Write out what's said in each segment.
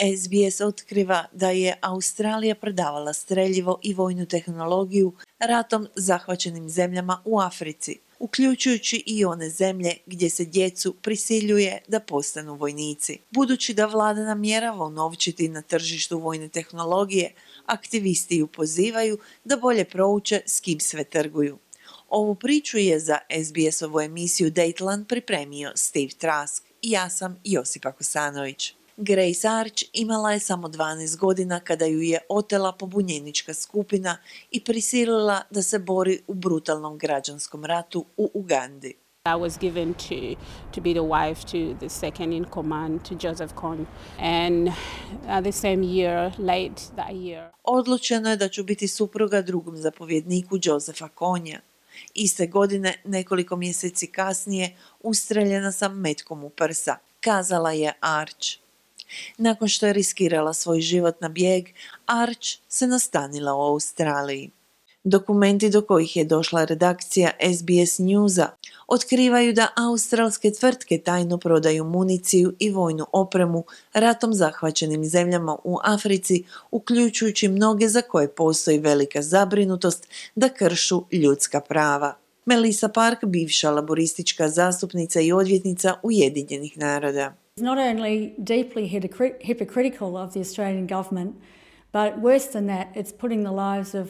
SBS otkriva da je Australija prodavala streljivo i vojnu tehnologiju ratom zahvaćenim zemljama u Africi, uključujući i one zemlje gdje se djecu prisiljuje da postanu vojnici. Budući da vlada namjerava unovčiti na tržištu vojne tehnologije, aktivisti ju pozivaju da bolje prouče s kim sve trguju. Ovu priču je za SBS-ovu emisiju Dateland pripremio Steve Trask i ja sam Josipa Kosanović. Grace Arch imala je samo 12 godina kada ju je otela pobunjenička skupina i prisilila da se bori u brutalnom građanskom ratu u Ugandi. I was given to be the wife to the second in command, to Joseph Kony. And the same year, late that year. Odlučeno je da ću biti supruga drugom zapovjedniku Josepha Konija. Iste godine, nekoliko mjeseci kasnije, ustreljena sam metkom u prsa, kazala je Arch. Nakon što je riskirala svoj život na bijeg, Arch se nastanila u Australiji. Dokumenti do kojih je došla redakcija SBS Newsa otkrivaju da australske tvrtke tajno prodaju municiju i vojnu opremu ratom zahvaćenim zemljama u Africi, uključujući mnoge za koje postoji velika zabrinutost da kršu ljudska prava. Melissa Park, bivša laboristička zastupnica i odvjetnica Ujedinjenih naroda. It's not only deeply hypocritical of the Australian government, but worse than that, it's putting the lives of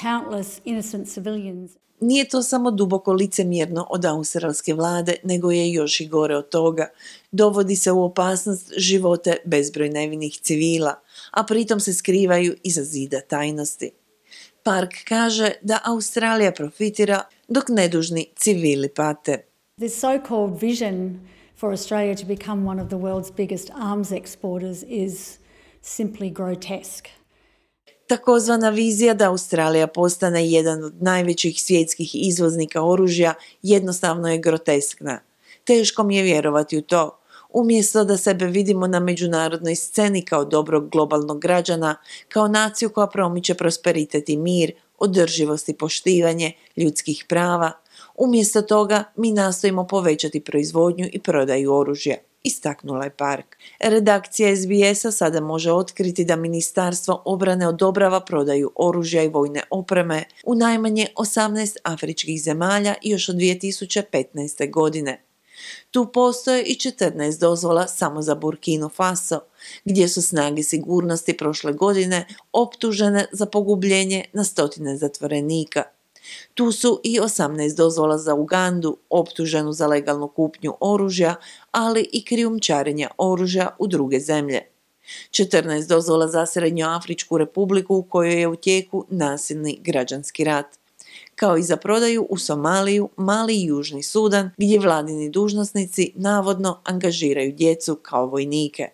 countless innocent civilians. Nije to samo duboko licemjerno od australske vlade, nego je još i gore od toga. Dovodi se u opasnost živote bezbroj nevinih civila, a pritom se skrivaju iza zida tajnosti. Park kaže da Australija profitira dok nedužni civili pate. This so-called vision for Australia to become one of the world's biggest arms exporters is simply grotesque. Takozvana vizija da Australija postane jedan od najvećih svjetskih izvoznika oružja jednostavno je groteskna. Teško mi je vjerovati u to. Umjesto da sebe vidimo na međunarodnoj sceni kao dobrog globalnog građana, kao naciju koja promiče prosperitet i mir, održivost i poštivanje ljudskih prava, umjesto toga mi nastojimo povećati proizvodnju i prodaju oružja, istaknula je Park. Redakcija SBS-a sada može otkriti da Ministarstvo obrane odobrava prodaju oružja i vojne opreme u najmanje 18 afričkih zemalja još od 2015. godine. Tu postoje i 14 dozvola samo za Burkinu Faso, gdje su snage sigurnosti prošle godine optužene za pogubljenje na stotine zatvorenika. Tu su i 18 dozvola za Ugandu, optuženu za legalnu kupnju oružja, ali i krijumčarenja oružja u druge zemlje. 14 dozvola za Srednjoafričku republiku u kojoj je u tijeku nasilni građanski rat, kao i za prodaju u Somaliju, Mali i Južni Sudan, gdje vladini dužnosnici navodno angažiraju djecu kao vojnike.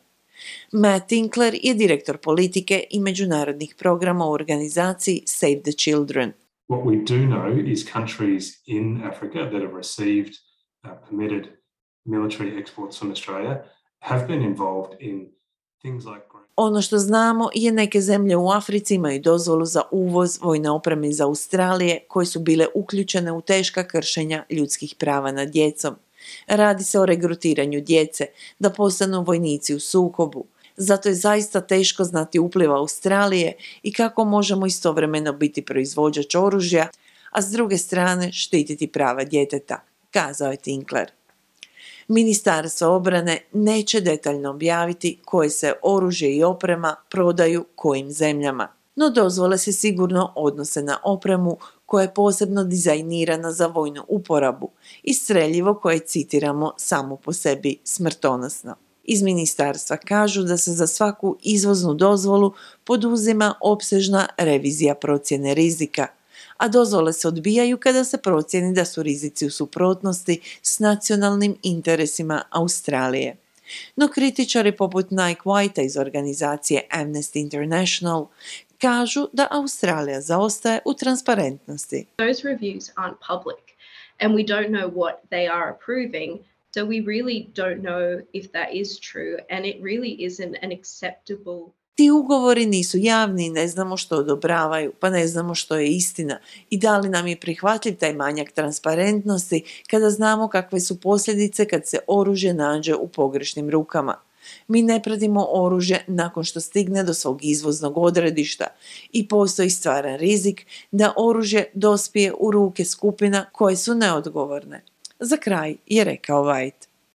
Matt Tinkler je direktor politike i međunarodnih programa u organizaciji Save the Children. What we do know is countries in Africa that have received permitted military exports from Australia have been involved in things like... Ono što znamo je neke zemlje u Africi imaju dozvolu za uvoz vojne opreme iz Australije koje su bile uključene u teška kršenja ljudskih prava nad djecom. Radi se o regrutiranju djece da postanu vojnici u sukobu. Zato je zaista teško znati upliv Australije i kako možemo istovremeno biti proizvođač oružja, a s druge strane štititi prava djeteta, kazao je Tinkler. Ministarstvo obrane neće detaljno objaviti koje se oružje i oprema prodaju kojim zemljama, no dozvole se sigurno odnose na opremu koja je posebno dizajnirana za vojnu uporabu i streljivo koje citiramo samo po sebi smrtonosno. Iz ministarstva kažu da se za svaku izvoznu dozvolu poduzima opsežna revizija procjene rizika, a dozvole se odbijaju kada se procijeni da su rizici u suprotnosti s nacionalnim interesima Australije. No kritičari poput Nike Whitea iz organizacije Amnesty International kažu da Australija zaostaje u transparentnosti. Those reviews aren't public and we don't know what they are approving. So we really don't know if that is true and it really isn't an acceptable... Ti ugovori nisu javni i ne znamo što odobravaju, pa ne znamo što je istina i da li nam je prihvatljiv taj manjak transparentnosti kada znamo kakve su posljedice kad se oružje nađe u pogrešnim rukama. Mi ne pratimo oružje nakon što stigne do svog izvoznog odredišta i postoji stvaran rizik da oružje dospije u ruke skupina koje su neodgovorne. Za kraj je rekao White.